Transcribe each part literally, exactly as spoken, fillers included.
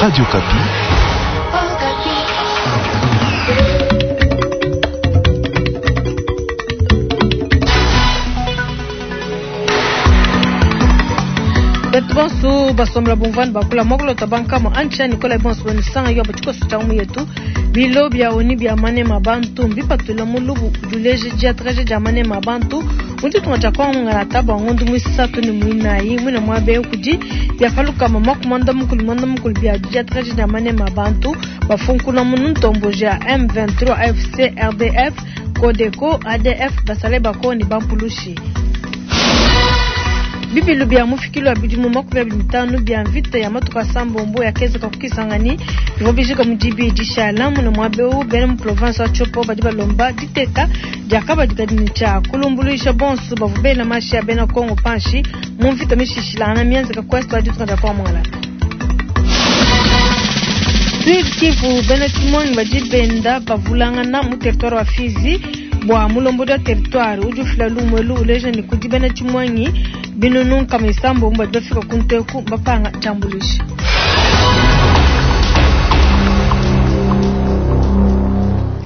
Radio Okapi. Betu bonso basombola bumvani bakula mokulota bankamo antsha Nicolas bonso bonisanga yo batikoso tcha mu yetu bilo bia oni bia manema bantu mbipatula mulubu duleje dia traje dia manema bantu muntu tunga tcha kwangala taba ngondu mwisatu ni mwinayi mwina mwabe kudi bia faluka mama kumanda mukulu manda mukulu bia dia traje dia manema bantu bafunkuna munu ntombo ja M vingt-trois A F C R D F Codeco A D F basale bakoni bampulushi bibilu bia mufikilo ya bidimu makumi abidi mitanu bia mvita ya matuka sambombo ya keza kakukisangani bivua bijika mudibi dishala muna mwabeu bena mu province wa Tshopo badi balomba diteka diakabadikadini tshia kulumbuluisha bonso bavua bela mashi ya bena Kongo panshi mu mvita mishishilana mienzeka kwest wa ditunga dia Kwamwala. Sud Kivu bena Timoni badi benda bavulangana mu territoire wa Fizi bua mulombodi wa territoire udi ufila lumwelu uleja ni kudi bena Tshimonyi binunu nkama isambo badi bafika kunteku bapanga tshiambuluisha.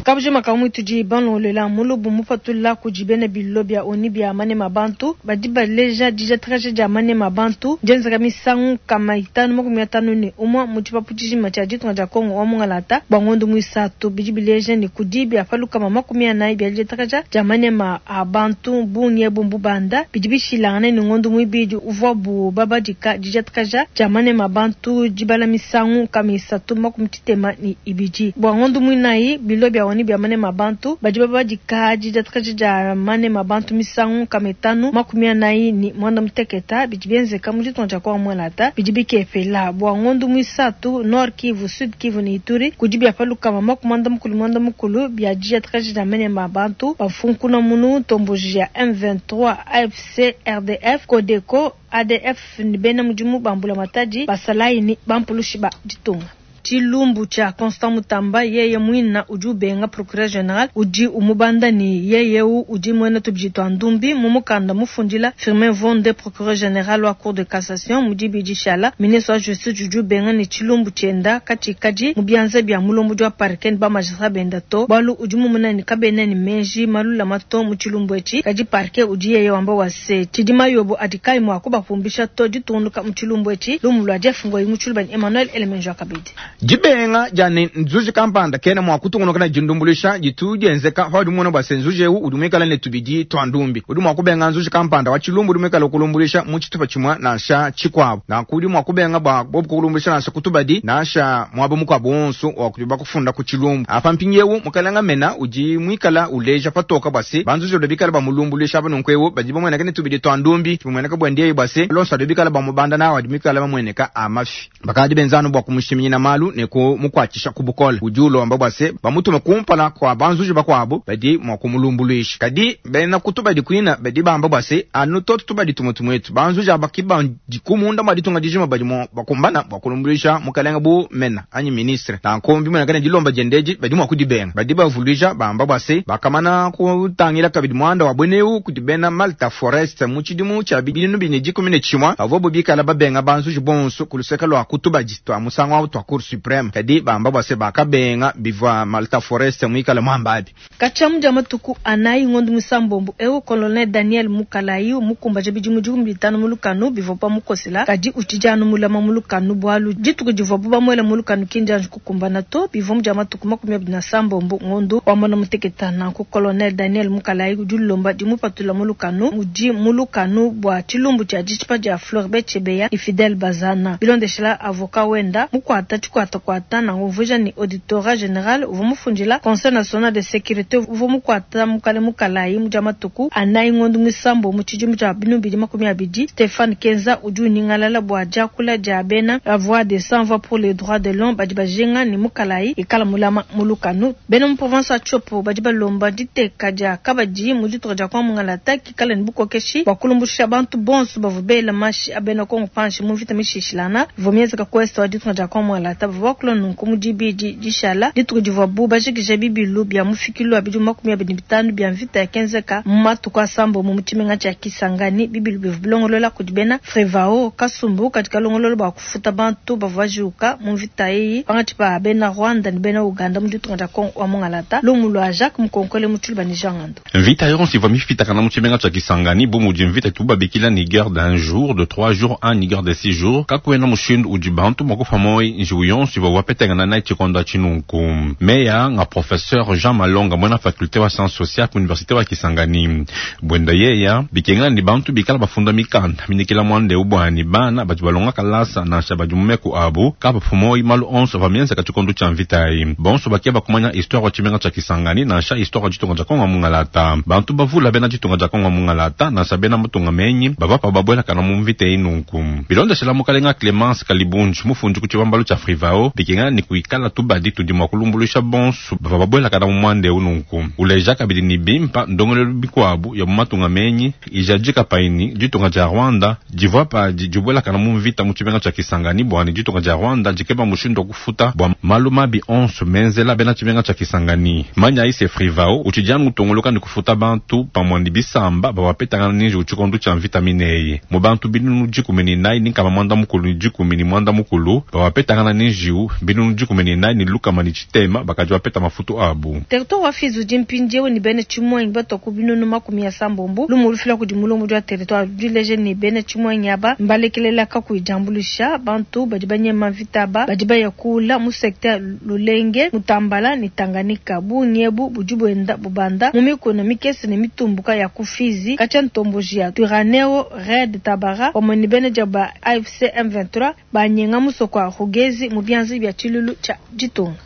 Kabujima kamwe tudi banlolela mulubu mupatula kudi bena bilo bia oni bia manema bantu badi baleja dija traje dia manema bantu dienzeka misangu kama itanu makumi atanu ne umwe mu tshipapu tshijima tshia ditunga dia Kongo wa mungalata bua ngondo muisatu bidi bileja ne kudi bia palukama makumi anayi bia dija traje dia manema a bantu bungi ebu mbubanda bidi bishilangane ne ngondo muibidi uvuabu babadika dija traje dia manema bantu dibala misangu kama isatu makumi tshitema ne ibidi bua ngondo muinayi bilo bia oni bia manema bantu badi babadika dija traje dia manema bantu misangu kama itanu makumi anayi ni mwanda muteketa bidi bienzeka mu ditunga dia Kongo mwalata bidi bikepela bua ngondo muisatu Nord Kivu Sud Kivu ni Ituri kudi bia palukama makumi mukulu mwanda mukulu bia dija traje dia manema bantu bafunkuna munu ntomboji ya M vingt-trois A F C R D F Codeco A D F ni bena mudimu bambula matadi basalayi ni bampulushi ba ditunga. Tshilumbu tshia Constant Mutamba yeye mwina udi ubenga procureur general udi umubanda ni yeye udi mwena tubidi twa ndumbi mu mukanda mufundila Firmin Mvonde procureur general wa cour de cassation mudi bidi shala ministre wa justice udi ubenga ni tshilumbu tshienda katshikadi mu bianza bia mulombo wa parquet ba magistrat benda to balu udi mumuna ni kabena ni menji malula mato mu tshilumbu etshi kadi parquet udi yeye wamba wase tshidima yobo adikai mwa kubapumbisha to ditunduka mu tshilumbu etshi lumu lwa Jeff Ngoyi mu tshilumbu Emmanuel Elemenjo kabidi. Jibenga jani nzuji kampanda kena mwa kutungunuka na jindumbuluisha jitu jenzeka hadi mwana bwa senzuji eu udumikala ne tubidi twa ndumbi udi mwa kubenga nzuji kampanda wa chilumbu udumikala kulumbuluisha mu tshitupa tshimwa nansha tshikwabo na kudi mwa kubenga bwa bobu kulumbuluisha nansha kutubadi nansha mwabo mukwabo wonso wa kuba kufunda ku chilumbu apa mpinyewu mukalanga mena udi mwikala uleja patoka bwase banzuji odobikala bamulumbuluisha bano nkwewu badi bamweneka ne tubidi twa ndumbi bamweneka bwendiye bwase lonso adobikala bamubanda nawo adimikala bamweneka amafi bakadi benzano bwa kumushiminyina malu ne ku mukwatshisha ku bukola udi ulomba bwase bamutume kumpala kwa banzuji bakwabo badi mwa kumulumbuluisha kadi bena kutubadi kwina badi bamba bwase anu toto tubadi tumwe tumwetu banzuji abaki dikumunda mwa ditunga dijima badi mwa bakumbana bwa kulumbuluisha mukalenga bu mena anyi ministre nankombi mwena kana dilomba jendeji badi mwa kudibenga badi bavuluisha bamba bwase bakamana kutangila kabidi mwanda wa bweneu kudibena Malta Forest mu tshidimu tshia bibinu bine dikumi ne tshimwa bavua bikala babenga banzuji bonso kuluseka lwa kutubadi twa musango wa twa Cour Supreme kadi bamba bwase bakabenga bivwa Malta Forest mwikala mwambabi kachamu ja matuku anayi ngondo musambombo ewo colonel Daniel Mukalayi mukumba ja bidimu dikumi bitanu mulukanu bivwa pa mukosela kadi utijanu mulama mulukanu bwalu dituku divwa buba mwela mulukanu kinja kukumbana to bivwa muja matuku makumi abiri na sambombo ngondo wa mwana muteketana ku colonel Daniel Mukalayi udi dimupatula mulukanu udi mulukanu bwa tshilumbu tshia ditshipa dia Floribert Chebeya ni Fidel Bazana bilondeshela avocat wenda mukwata tshikwata kwata na nguvuja ni auditorat general uvua mufundila conseil national de sécurité uvua mukwata mukale mukalayi muja matuku anayi ngondo musambo mu tshidimu tshia binu bidi makumi abidi Stéphane Kenza udi uningalala bua diakula dia bena la voix des sans voix pour les droits de l'homme badi bajenga ni mukalayi ikala mulama mulukanu bena mu province ya Tshopo badi balomba diteka dia kabadi mu ditunga dia kwa mungalata kikala ni bukokeshi bua kulumbusha bantu bonso bavua bela mashi abena Kongo panshi mu mvita mishishilana ivua mienzeka ku est wa ditunga dia kwa mungalata Bavua bakula nunku mu dibidi dishala, dituku divuabu bajikija bibilu bia mufikilu wa bidimu makumi abidi ne bitanu bia mvita yakenzeka mu matuku asambombo mu tshimenga tshia Kisangani. Bibilu bivua bilongolola kudi bena Frevao, kasumbu kadi kalongolola bua kufuta bantu bavua bajiwuka mu mvita eyi pankatshi pa bena Rwanda ne bena Uganda mu ditunga dia Kongo wa Mungalata. Lumu lua Jacques Mukonkole mu Tshiluba ne Jean Ngando. Mvita yonso ivua mifitakana mu tshimenga tshia Kisangani bu mudi mvita itubu babikila ni guerre d'un jour, de trois jours, anyi guerre de six jours. Kakuena mushindu udi bantu mua kupua muoyo njiwu yonso ivua wapetangana nayi tshikondo atshi nunku. Meya nga professeur Jean Malonga, muena faculté wa sciences sociales ku université wa Kisangani, buenda yeya bikengela ni bantu bikala bafunda mikanda minikila muanda eu bua bana badi balonga kalasa nansha badi mu meku abu kabapu muoyo malu onso avua mienzeka tshikondo tshia mvita eyi. Bonso bakeba kumanya histoire wa tshimenga tshia Kisangani nansha histoire wa ditunga dia Kongo Mungalata. Bantu bavula bena ditunga dia Kongo Mungalata nansha bena matunga menyi bavua pa babuelakana mu mvita eyi nunku. Bilondeshela mukalenga Clemence Kalibunji mufundi ku tshibambalu tshia Frivao bikengela ni kuikala tubadi tudi mua kulumbuluisha bonso bavua babuelakana mu muanda eu nunku. Uleja kabidi ni bimpa ndongolelu bikuabu ya mu matunga menyi ijadika paini ditunga dia Rwanda divua padi dibuelakana mu mvita mu tshimenga tshia Kisangani bua ni ditunga dia Rwanda dikeba mushindu wa kufuta bua malu mabi onso menzela bena tshimenga tshia Kisangani. Manya ise Frivao utshidi utongoloka ni kufuta bantu pamue ni bisamba bawapetangana ninji tshikondo tshia mvita mineyi mu bantu binunu dikumi ni nayi ni nkama mwanda mukulu ni dikumi ni mwanda mukulu bawapetangana ninjiu binunu dikumi ni nayi ni lukama ni tshitema bakadi bapeta mafutu abu. Territoire wa Fizi udi mpindieu ni bena tshimuangi batua ku binunu makumi asambombo. Lumu lufila kudi mulombo wa territoire dileje ni bena tshimuangi aba mbalekelela kakuyi diambuluisha bantu badi banyema mvita aba badi baya kula mu secteur Lulenge, Mutambala ni Tanganyika. Bungi ebu budi buenda bubanda mu mikuna mikese ne mitumbuka ya ku Fizi katshia ntomboji ya Twirwaneho Red Tabara pamue ne bena dia ba A F C M vingt-trois banyenga musoko wa Rugezi mu bianza bia tshilulu tshia ditunga.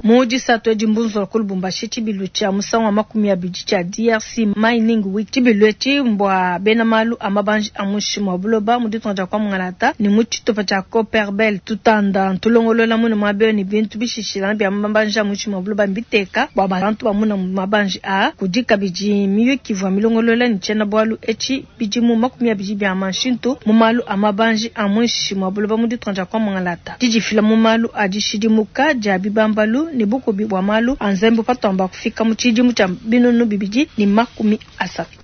Mu disatu edi mbunzo ku Lubumbashi tshibilu tshia musangu wa makumi abidi tshia D R C Mining Week. Tshibilu etshi mbua bena malu a mabanji a muinshi mua buloba mu ditunga dia kwa Mungalata ne mu tshitupa tshia Copperbelt. Tutanda ntulongolola mune muaba ne bintu bishishilana bia mabanji a muinshi mua buloba mbiteka bua bantu bamuna mabanji a kudi kabidi miyuki ivua milongolola ne tshiena bualu etshi bidimu makumi abidi bia manshintu mu malu a mabanji a muinshi mua buloba mu ditunga dia kwa Mungalata. Didifila mu malu a dishidimuka dia bibambalu ne bukubi bua malu a nzembe patwamba kufika mu tshidimu tshia binunu bibidi ne makumi asatu.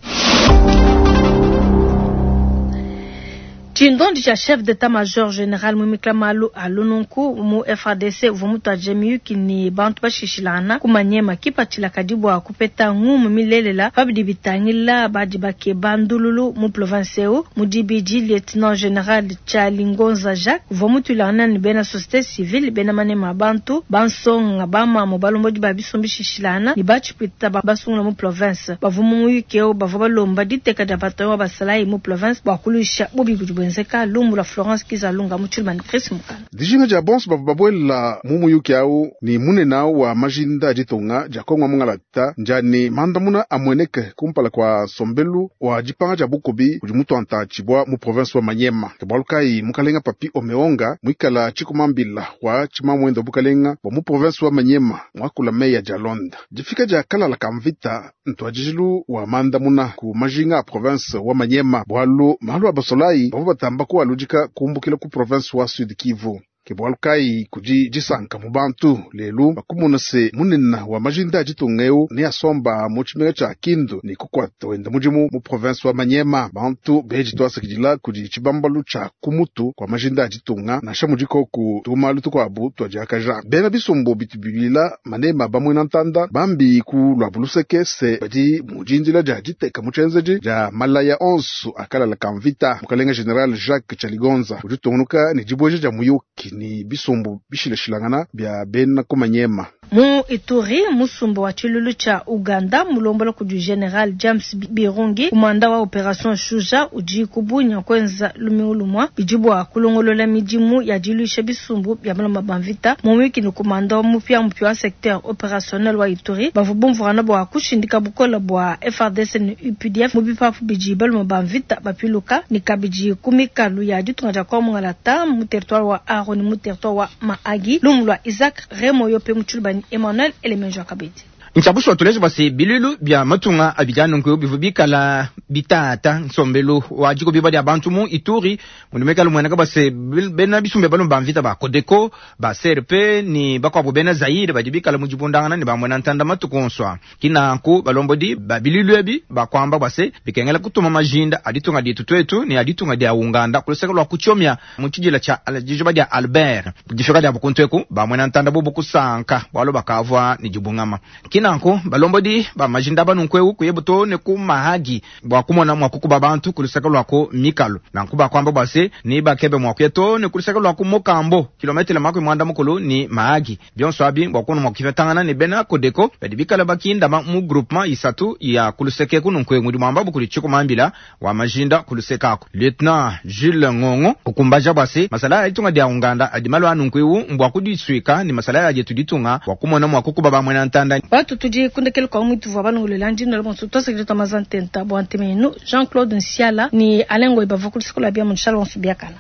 Tshindondi tshia chef d'état-major général Mumikla Malu alununku mu F A D C uvua mutuadije miyuki ne bantu bashishilana ku Manyema kipatshila kadi bua kupeta ngumu milelela pabidi bitangila badi bakeba ndululu mu province eu. Mu dibidi lieutenant général Tshalingonza Jacques uvua mutuilangana ne bena société civile bena manema bantu bansonga bamamo balombodi ba bisumbu bishishilana ne batshipwita basungula mu province. Bavua mu muyuki eu bavua balomba diteka dia bataillon wa basalayi mu province bua kuluisha bubi budi bwenzeka. Lumbu la Florence Kizalunga mu Tshilumani Chris Mukana. Dijinga dia bonso bavua babuela mu muyuki au ni munene wa majinda a ditunga dia Kongo Mungalata njani mandamuna amueneke kumpala kwa sombelu wa dipanga dia bukubi kudi mutuanta tshibwa mu province wa Manyema. Ke bualu kayi mukalenga Papi Omeonga muikala tshikumambila wa tshimamwendo bukalenga bwa mu province wa Manyema mwakula meya dia Londa. Difika dia kalala ka mvita ntuadijilu wa mandamuna ku majinga a province wa Manyema bualu malu a basolayi bavua batamba kualudika kumbukila ku province wa Sud Kivu. Ke bualu kayi kudi disanka mu bantu lelu bakumona se munene wa majinda a ditunga eu ne asomba mu tshimenga tshia Kindu ne kukuata wenda mudimu mu province wa Manyema. Bantu beji twasakidila kudi tshibambalu tshia kumutu kwa majinda a ditunga nansha mudikoku tumalu tukuabu twadiakaja. Bena bisumbu bitubilila manema bamwena ntanda bambi ku lwa buluseke se badi mu dindila dia diteka mu tshienzedi dia malaya onso akalala ka mvita. Mukalenga General Jacques Tshaligonza udi utungunuka ne dibueja dia muyuki ni bisumbu bishilashilangana bia bena ku Manyema. Mu Ituri, musumba wa tshilulu tshia Uganda mulombola kudi General James Birungi kumanda wa Operation Shuja udi kubunya kwenza lumingu lumwa bidi bua kulongolola midimu ya diluisha bisumbu bia malomba ba mvita. Mu wiki ni kumanda wa mupya mupya wa secteur opérationnel wa Ituri bavua bumvuana bua kushindika bukola bua F R D C ne U P D F mu bipapu bidi balomba ba mvita bapiluka ni kabidi ku mikalu ya ditunga dia Kongo Mungalata mu territoire wa Aro ni mu territoire wa Mahagi. Lumu lwa Isaac Remo Yope mu Tshilubani Emmanuel Elemenjo Kabedi. Ntshabushuwa tuleje bua se biluilu bia matunga abidi anunku bivua bikala bitata nsombelu wa dikubiba dia bantu mu Ituri mudi muikale mueneka bua se bena bisumbu bia balume ba mvita ba Codeco ba C R P ni bakuabu bena Zaire badi bikala mu dibundangana ne bamwena ntanda matuku onso a kinanku balombodi ba biluilu ebi bakuamba bua se bikengela kutuma majinda a ditunga dietu tuetu ne a ditunga dia Uganda kuluseke lua kutshiomia mu tshidila tshia dijuba dia Albert difika dia bukuntu eku bamwena ntanda bubu kusanka bualu bakavua ne dibungama. Kinanku balombodi ba majinda banunku eu kuyebu to ne ku Mahagi bua kumona mua kukuba bantu kuluseke lua ku mikalu. Nanku bakuamba bua se ni bakebe mua kuya to ne kuluseke lua ku Mokambo kilometele makumi muanda mukulu ni Mahagi bionso abi bua kuona mua kipetangana ne bena Codeco badi bikala bakindama mu groupement isatu ya kuluseke kununku mudi muamba bukuli tshikumambila wa majinda kuluseke aku lieutenant Jules Ngongo kukumbaja bua se masala ya ditunga dia Uganda adi malu anunku eu mbua kudisuika ni masala ya dietu ditunga bua kumona mua kukuba bamwena ntanda. Batu tudi kundekele kwa mwitu vua balongolela ndino bonso twasakile twa mazantenta bua ntemenu Jean-Claude Nsiala ni Alain Ngoy bava kuluseke lua bia mu nshala bonso biakana.